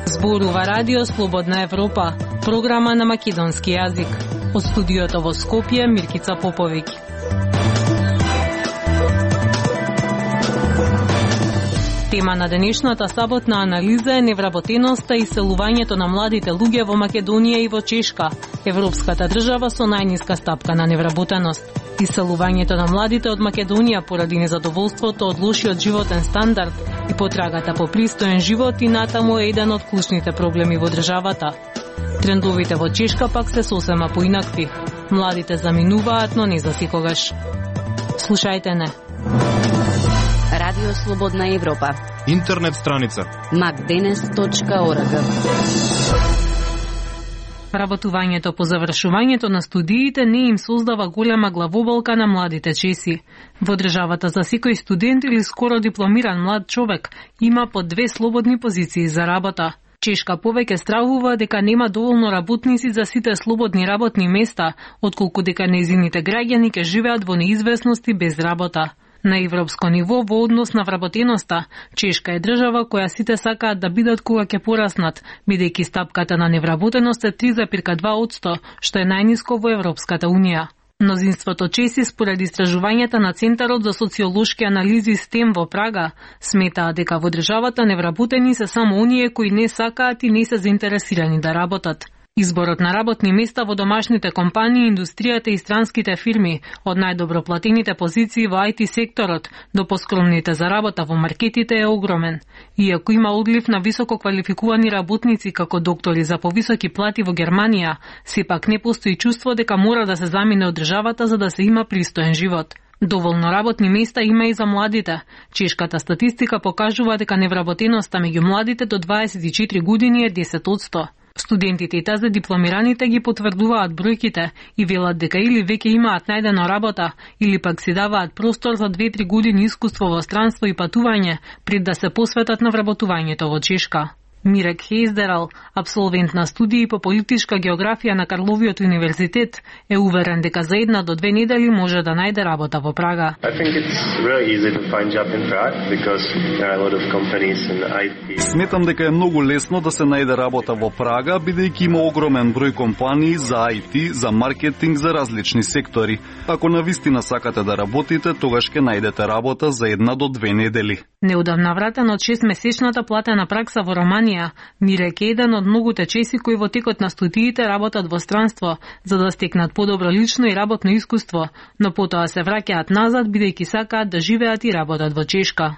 Зборува Радио Слободна Европа, програма на македонски јазик. Од студиото во Скопје, Миркица Поповиќ. Тема на денешната саботна анализа е невработеноста и иселувањето на младите луѓе во Македонија и во Чешка, европската држава со најниска стапка на невработеност. Иселувањето на младите од Македонија поради незадоволството од лошиот животен стандард и потрагата по пристоен живот и натаму е еден од клучните проблеми во државата. Трендовите во Чешка пак се сосема поинакви. Младите заминуваат, но не за секогаш. Слушајте не. Радио Слободна Европа. Интернет страница macdenes.org. Работувањето по завршувањето на студиите не им создава голема главоболка на младите чеси. Во државата за секој студент или скоро дипломиран млад човек има по 2 слободни позиции за работа. Чешка повеќе стравува дека нема доволно работници за сите слободни работни места, отколку дека нејзините граѓани ќе живеат во неизвестност и без работа. На европско ниво, во однос на вработеноста, Чешка е држава која сите сакаат да бидат кога ќе пораснат, бидејќи стапката на невработеност е 3,2%, што е најниско во Европската Унија. Мнозинството чеси, според истражувањата на Центарот за социолошки анализи STEM во Прага, сметаат дека во државата невработени се само оние кои не сакаат и не се заинтересирани да работат. Изборот на работни места во домашните компании, индустријата и странските фирми, од најдобро платените позиции во IT секторот до поскромните за работа во маркетите е огромен. Иако има одлив на високо квалификувани работници како доктори за повисоки плати во Германија, сепак не постои чувство дека мора да се замине од државата за да се има пристоен живот. Доволно работни места има и за младите. Чешката статистика покажува дека невработеноста меѓу младите до 24 години е 10%. Студентите и тази дипломираните ги потврдуваат бројките и велат дека или веќе имаат најдено работа, или пак си даваат простор за 2-3 години искуство во странство и патување, пред да се посветат на вработувањето во Чешка. Мирек Хейздерал, абсолвент на студии по политичка географија на Карловиот универзитет, е уверен дека за 1 до 2 недели може да најде работа во Прага. Сметам дека е многу лесно да се најде работа во Прага, бидејќи има огромен број компании за IT, за маркетинг, за различни сектори. Ако навистина сакате да работите, тогаш ќе најдете работа за 1 до 2 недели. Неудавна вратен од 6-месечната платена пракса во Романија, Мирек е еден од многуте чеси кои во текот на студиите работат во странство, за да стекнат подобро лично и работно искуство, но потоа се враќаат назад бидејќи сакаат да живеат и работат во Чешка.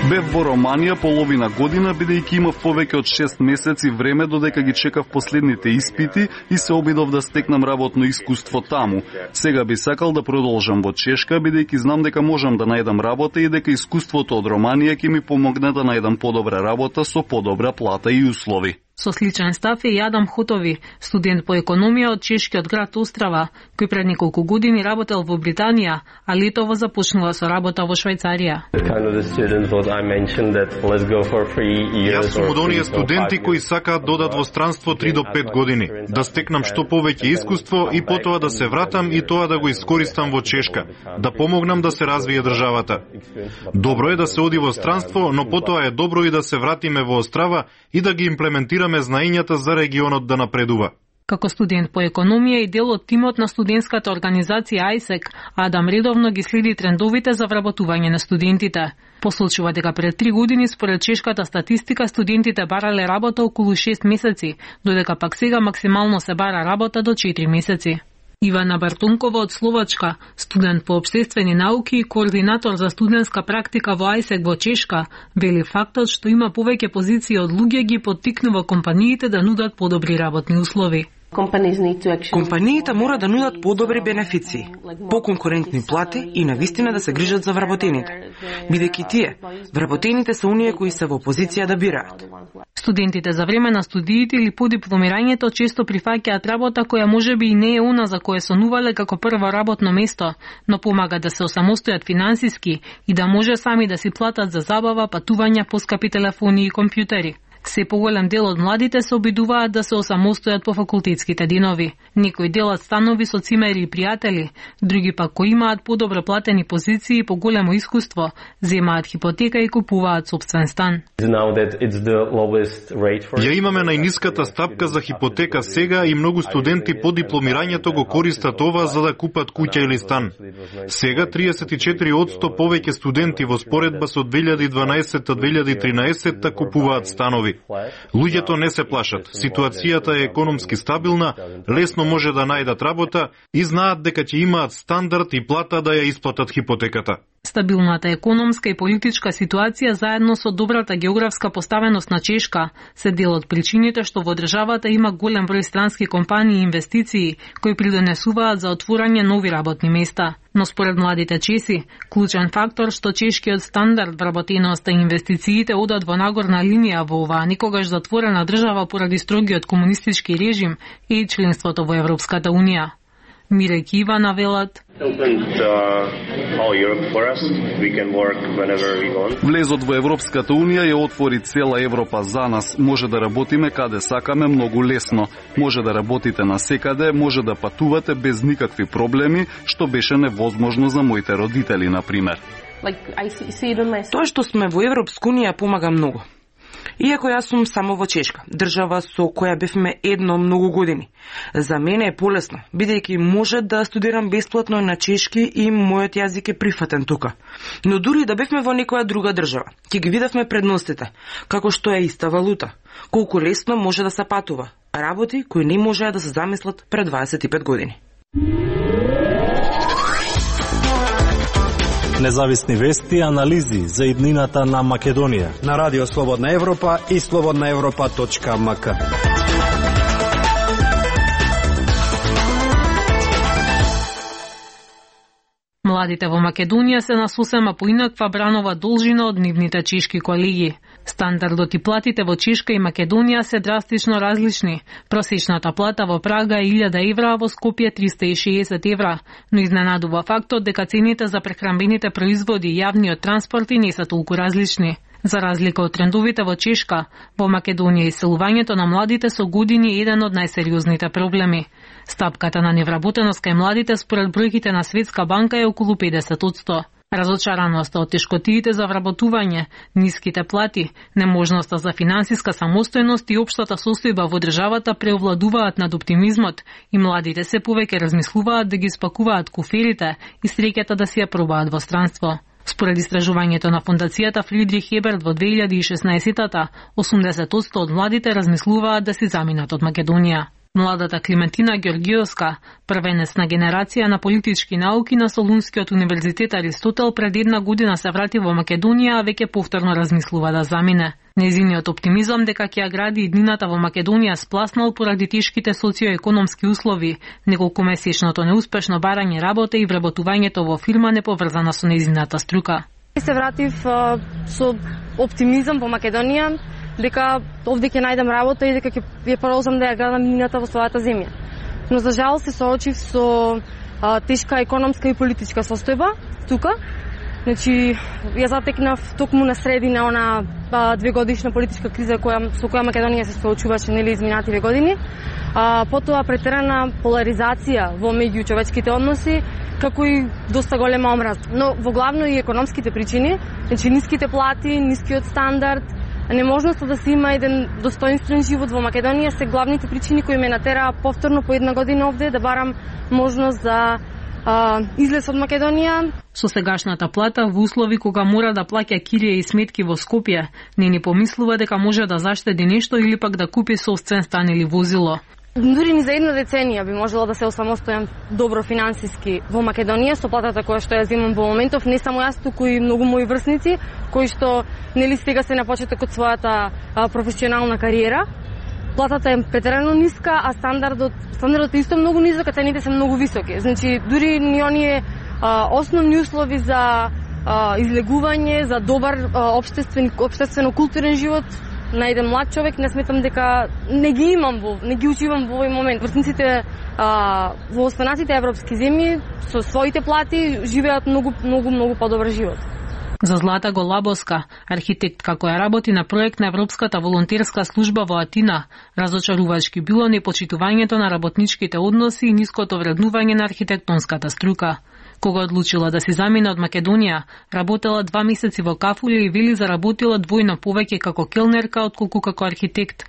Бев во Романија половина година бидејќи имав повеќе од 6 месеци време додека ги чекав последните испити и се обидов да стекнам работно искуство таму. Сега би сакал да продолжам во Чешка бидејќи знам дека можам да најдам работа и дека искуството од Романија ќе ми помогне да најдам подобра работа со подобра плата и услови. Со сличен став е и Адам Хотови, студент по економија од чешкиот град Острава, кој пред неколку години работел во Британија, а летово започнува со работа во Швајцарија. Јас сум од оние студенти кои сакаат да одат во странство 3 до 5 години, да стекнам што повеќе искуство и потоа да се вратам и тоа да го искористам во Чешка, да помогнам да се развие државата. Добро е да се оди во странство, но потоа е добро и да се вратиме во Острава и да ги имплементираме знаењата за регионот да напредува. Како студент по економија и дел од тимот на студентската организација ISEC, Адам редовно ги следи трендовите за вработување на студентите. Посочува дека пред 3 години според чешката статистика студентите барале работа околу 6 месеци, додека пак сега максимално се бара работа до 4 месеци. Ивана Бартункова од Словачка, студент по општествени науки и координатор за студентска практика во ISEC во Чешка, вели фактот што има повеќе позиции од луѓе ги поттикнува компаниите да нудат подобри работни услови. Компаниите мора да нудат подобри бенефиции, поконкурентни плати и навистина да се грижат за вработените, бидејќи тие, вработените се оние кои се во позиција да бираат. Студентите за време на студиите или по дипломирањето често прифаќаат работа која можеби и не е она за која сонувале како прво работно место, но помага да се осамостојат финансиски и да може сами да си платат за забава, патувања, поскапи телефони и компјутери. Се поголем дел од младите се обидуваат да се осамостојат по факултетските денови. Некои делат станови со цимери и пријатели, други пак кои имаат подобро платени позиции и поголемо искуство, земаат хипотека и купуваат сопствен стан. Ја имаме најниската стапка за хипотека сега и многу студенти по дипломирањето го користат ова за да купат куќа или стан. Сега 34% повеќе студенти во споредба со 2012-2013 купуваат станови. Луѓето не се плашат. Ситуацијата е економски стабилна, лесно може да најдат работа и знаат дека ќе имаат стандард и плата да ја исплатат хипотеката. Стабилната економска и политичка ситуација заедно со добрата географска поставеност на Чешка се дел од причините што во државата има голем број странски компании и инвестиции кои придонесуваат за отворање нови работни места. Но според младите чеси, клучен фактор што чешкиот стандард, вработеноста и инвестициите одат во нагорна линија во оваа никогаш затворена држава поради строгиот комунистички режим и членството во Европската унија. Мире Кива навелат: Влезот во Европската унија ја отвори цела Европа за нас. Може да работиме каде сакаме многу лесно. Може да работите насекаде, може да патувате без никакви проблеми, што беше невозможно за моите родители, например. Тоа што сме во Европска унија помага многу. Иако јас сум само во Чешка, држава со која бевме едно многу години. За мене е полесно, бидејќи може да студирам бесплатно на чешки и мојот јазик е прифатен тука. Но дури да бевме во некоја друга држава, ќе ги видевме предностите, како што е иста валута, колку лесно може да се патува, работи кои не можеа да се замислат пред 25 години. Независни вести и анализи за иднината на Македонија на Радио Слободна Европа и slobodnaevropa.mk. Младите во Македонија се на сосема поинаква бранова должина од нивните чешки колеги. Стандардот и платите во Чешка и Македонија се драстично различни. Просечната плата во Прага е 1000 евра, а во Скопје 360 евра. Но изненадува фактот дека цените за прехранбените производи и јавниот транспорт и не се толку различни. За разлика од трендовите во Чешка, во Македонија иселувањето на младите со години е еден од најсериозните проблеми. Стапката на невработеност кај младите според бројките на Светска банка е околу 50%. Разочараноста од тешкотиите за вработување, ниските плати, неможноста за финансиска самостојност и општата состојба во државата преовладуваат над оптимизмот и младите се повеќе размислуваат да ги спакуваат куферите и среќата да си ја пробаат во странство. Според истражувањето на фондацијата Фридрих Еберт во 2016-та, 80% од младите размислуваат да си заминат од Македонија. Младата Климентина Георгиевска, првенецна генерација на политички науки на Солунскиот универзитет Аристотел, пред една година се врати во Македонија, а веќе повторно размислува да замине. Незиниот оптимизам дека ќе ја гради иднината во Македонија спласнал поради тешките социоекономски услови, неколкумесечното неуспешно барање работа и вработувањето во фирма неповрзана со незината струка. Се вратив со оптимизам во Македонија, дека овде ќе најдам работа и дека ќе ја продолжам да ја градам иднината во својата земја. Но за жал се соочив со тешка економска и политичка состојба тука. Значи, ја затекнав токму на средина она 2-годишна политичка криза со која Македонија се соочуваше изминативе години. Потоа претерана поларизација во меѓучовечките односи, како и доста голема омраза. Но во главно и економските причини, значи ниските плати, нискиот стандард, неможноста да се има еден достоинствен живот во Македонија се главните причини кои ме натераа повторно по една година овде да барам можност за излез од Македонија. Со сегашната плата во услови кога мора да плаќа кирија и сметки во Скопје, не ни помислува дека може да заштеди нешто или пак да купи собствен стан или возило. Дури ни за една деценија би можела да се осамостојам добро финансиски во Македонија со платата која што ја земам во моментов, не само јас, туку и многу мои врсници кои што сега се на почеток од својата професионална кариера. Платата е претерано ниска, а стандардот е исто многу низок, а цените се многу високи. Значи дури ни оние основни услови за излегување, за добар општествено-културен живот на еден млад човек, не сметам дека не ги учивам во овој момент. Врсниците во останатите европски земји со своите плати живеат многу подобар живот. За Злата Голабовска, архитектка која работи на проект на Европската волонтерска служба во Атина, разочарувачки било непочитувањето на работничките односи и ниското вреднување на архитектонската струка. Кога одлучила да си замине од Македонија, работела 2 месеци во Кафуле и вели заработила двојно повеќе како келнерка отколку како архитект.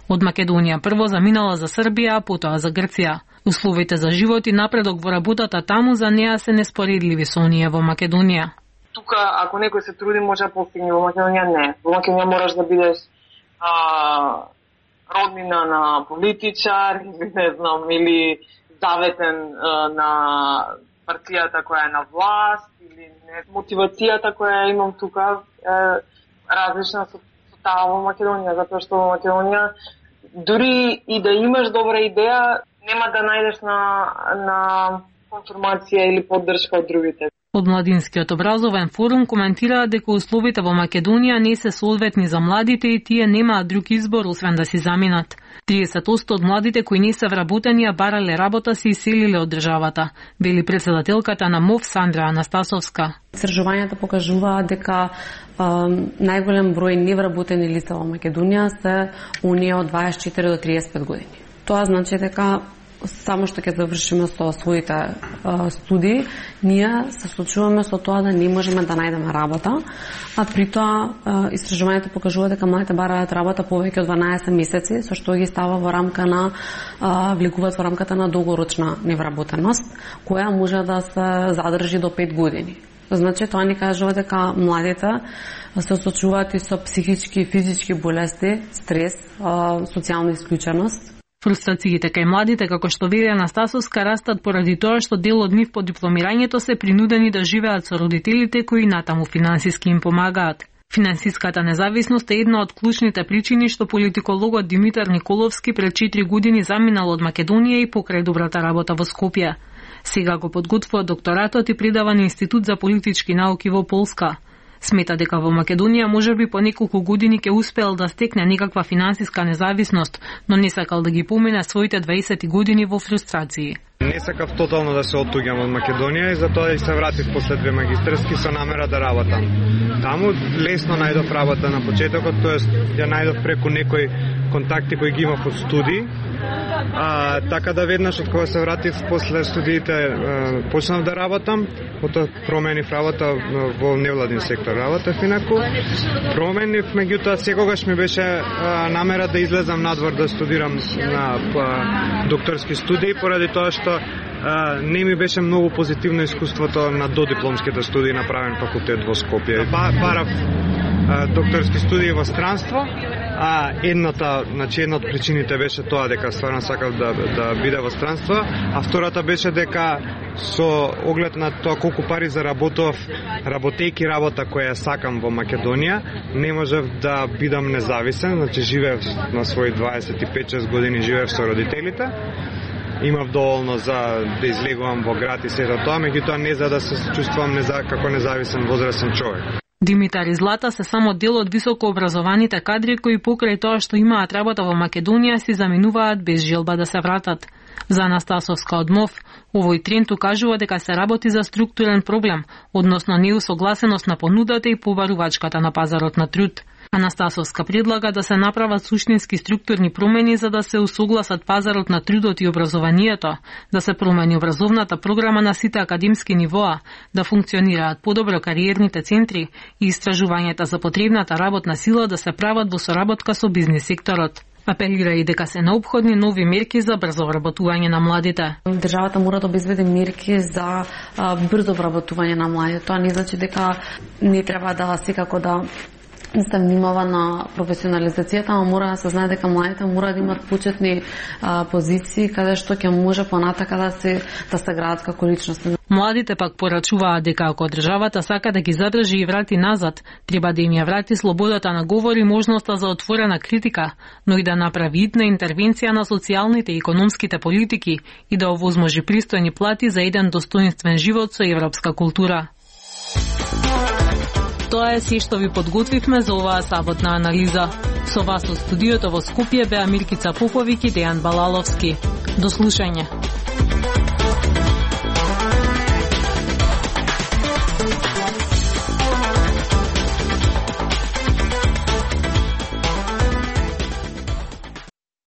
Од Македонија прво заминала за Србија, а потоа за Грција. Условите за живот и напредок во работата таму за неа се неспоредливи со оние во Македонија. Тука, ако некој се труди, може да постигне. Во Македонија не. Во Македонија мораш да бидеш роднина на политичар, не знам, или заветен на партијата која е на власт, или не. Мотивацијата која имам тука е различна со таа во Македонија, затоа што во Македонија дури и да имаш добра идеја, нема да најдеш на конформација или поддршка од другите. Од Младинскиот образовен форум коментираат дека условите во Македонија не се соодветни за младите и тие немаат друг избор освен да си заминат. 30% од младите кои не се вработени, а барале работа, се иселиле од државата, вели председателката на МОВ Сандра Анастасовска. Истражувањата покажуваат дека најголем број невработени лица во Македонија се оние од 24 до 35 години. Тоа значи дека само што ќе завршиме со своите студии, ние се случуваме со тоа да не можеме да најдеме работа, а при тоа истражувањето покажува дека младите бараат работа повеќе од 12 месеци, со што ги става во рамка на влегуваат во рамката на долгорочна невработеност, која може да се задржи до 5 години. Значи, тоа ни кажува дека младите се соочуваат и со психички и физички болести, стрес, социјална исклученост. Фрустрациите кај младите, како што вели Анастасовска, растат поради тоа што дел од нив по дипломирањето се принудени да живеат со родителите кои натаму финансиски им помагаат. Финансиската независност е една од клучните причини што политикологот Димитар Николовски пред 4 години заминал од Македонија и покрај добрата работа во Скопје. Сега го подготвува докторатот и предава на Институт за политички науки во Полска. Смета дека во Македонија можеби по неколку години ќе успеел да стекне некаква финансиска независност, но не сакал да ги помине своите 20 години во фрустрации. Не сакав тотално да се оттуѓам од Македонија и затоа и се вратив после 2 магистерски со намера да работам. Таму лесно најдов работа на почетокот, тоест ја најдов преку некои контакти кои ги имав од студии. Така да веднаш од кога се вратив после студиите почнав да работам, потоа променив работа во невладин сектор. Работев инаку, променив, меѓутоа секогаш ми беше намера да излезам надвор да студирам на докторски студии, поради тоа што не ми беше многу позитивно искуството на додипломските студии на правен факултет во Скопје. Барав докторски студии во странство, една од причините беше тоа дека стварно сакав да биде во странство, а втората беше дека со оглед на тоа колку пари заработував работејки работа која сакам во Македонија, не можев да бидам независен, значи живеев на своји 25-6 години живеев со родителите. Имав доволно за да излегувам во град и сето тоа, меѓутоа не за да се чувствувам како независен возрастен човек. Димитар и Злата се само дел од високообразованите кадри кои покрај тоа што имаат работа во Македонија си заминуваат без желба да се вратат. За Анастасовска од МОВ, овој тренд укажува дека се работи за структурен проблем, односно неусогласеност на понудата и побарувачката на пазарот на труд. Анастасовска предлага да се направат суштински структурни промени за да се усогласат пазарот на трудот и образованието, да се промени образовната програма на сите академски нивоа, да функционираат подобро кариерните центри и истражувањата за потребната работна сила да се прават во соработка со бизнис секторот. Апелира и дека се необходни нови мерки за брзо вработување на младите. Државата мора да обезбеди мерки за брзо вработување на младите. Тоа не значи дека не треба да секако да се внимава на професионализацијата, ама мора да се знае дека младите мора да имат почетни позиции каде што ќе може понатака да се градат како личности. Младите пак порачуваат дека ако државата сака да ги задржи и врати назад, треба да им ја врати слободата на говор и можноста за отворена критика, но и да направи итна интервенција на социјалните и економските политики и да овозможи пристојни плати за еден достоинствен живот со европска култура. Тоа е се што ви подготвивме за оваа саботна анализа. Со вас од студиото во Скопје беа Миркица Поповик и Дејан Балаловски. До слушање.